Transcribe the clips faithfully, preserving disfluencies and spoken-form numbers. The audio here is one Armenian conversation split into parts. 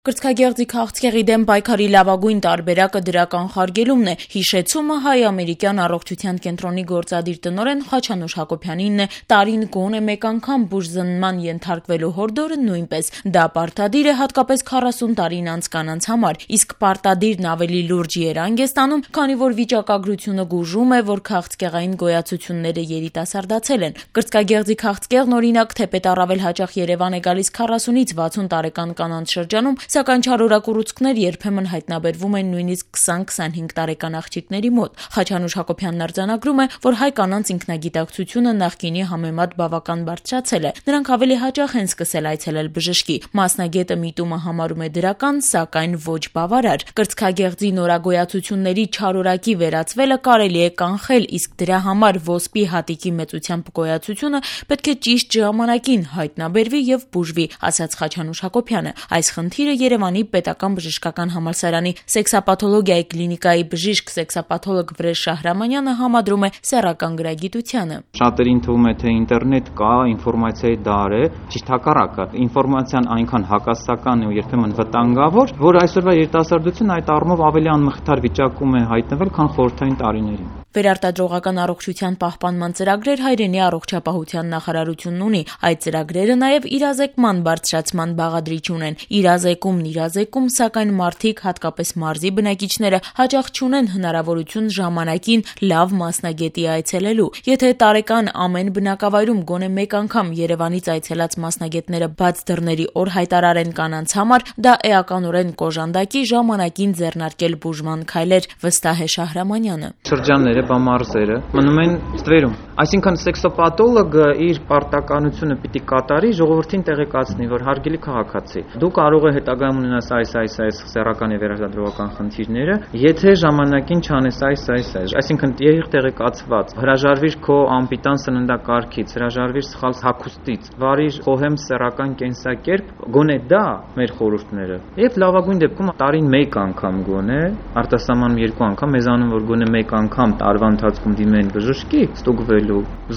Կրծքագեղձի քաղցկեղի դեմ պայքարի լավագույն տարբերակը դրական խարգելումն է, հիշեցումը հայ-ամերիկյան առողջության կենտրոնի գործադիր տնօրեն Խաչանուշ Հակոբյանինն է, տարին գոնե մեկ անգամ բուժզննման ենթարկվելու հորդորը նույնպես, դա պարտադիր է հատկապես քառասուն տարին անց կանանց համար, իսկ պարտադիրն ավելի լուրջ երանգ է ստանում, քանի որ վիճակագրությունը գուժում է, որ քաղցկեղային գոյացությունները երիտասարդացել են։ Կրծքագեղձի քաղցկեղն օրինակ թեպետ առավել հաճախ Երևան է գալիս քառասունից վաթսուն տարեկան կանանց շրջանում, սակայն չարորակ ուռուցքներ երբեմն հայտնաբերվում են նույնիսկ քսան-քսանհինգ տարեկան աղջիկների մոտ։ Խաչանուշ Հակոբյանն արձանագրում է, որ հայ կանանց ինքնագիտակցությունը նախկինի համեմատ բավական բարձրացել է։ Նրանք ավելի հաճախ են սկսել այցելել բժշկի։ Մասնագետը միտումը համարում է դրական, սակայն ոչ բավարար։ Կրծքագեղձի նորագոյացությունների չարորակի վերացվելը կարելի է կանխել, իսկ դրա համար ոսպի հատիկի մեծությամբ գոյացությունը պետք է ճիշտ ժամանակին հայտնաբերվի եւ բուժվի, ասաց Խաչանուշ Հակոբյանը։ Այս խնդիրը Երևանի պետական բժշկական համալսարանի սեքսապաթոլոգիայի կլինիկայի բժիշկ սեքսապաթոլոգ Վրեժ Շահրամանյանը համադրում է սեռական գրագիտությանը։ Շատերին թվում է, թե ինտերնետ կա, ինֆորմացիայի դար է, ճիշտ հակառակը։ Ինֆորմացիան այնքան հակասական է ու երբեմն վտանգավոր, որ այսօրվա երիտասարդությունը այդ առումով ավելի անմխիթար վիճակում է հայտնվել, քան խորհրդային տարիներին։ Վերարտադրողական առողջության պահպանման ծրագրեր հայրենի առողջապահության նախարարությունն ունի։ Այդ ծրագրերը նաև իրազեկման բարձրացման բաղադրիչ ունեն։ Իրազեկումն իրազեկում, սակայն մարդիկ, հատկապես մարզի բնակիչները, հաճախ չունեն հնարավորություն ժամանակին լավ մասնագետի այցելելու։ Եթե տարեկան ամեն բնակավայրում գոնե մեկ անգամ Երևանից այցելած մասնագետները բաց դռների օր հայտարարեն կանանց համար, դա էականորեն կոժանդակի ժամանակին ձեռնարկել բուժման քայլեր, վստահ է Շահրամանյանը։ Շրջանները, բամարզերը մնում են ստվերում։ Այսինքն սեքսոպաթոլոգը իր պարտականությունը պիտի կատարի, ժողովրդին տեղեկացնի, որ հարգելի քաղաքացի, դու կարող է հետագայում ունենաս այս այս այս սեռական եւ վերարտադրողական խնդիրները, եթե ժամանակին չանես այս այս այս։ Այսինքն եղիր տեղեկացված, հրաժարվիր քո անպիտան սննդակարգից, հրաժարվիր սխալ հագուստից, վարիր խոհեմ սեռական կենսակերպ, գոնե դա մեր խորհուրդները։ Եվ լավագույն դեպքում տարին մեկ անգամ գոնե, արտասահմանում երկու անգամ, մեզանում որ գոնե մեկ անգամ տարվա ընթացքում դիմեն բժշկի, ստուգվելու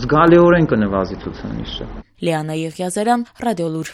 զգալիորեն կնվազի ցուցանիշը։ Լիանա Եղիազարյան, Ռադիոլուր։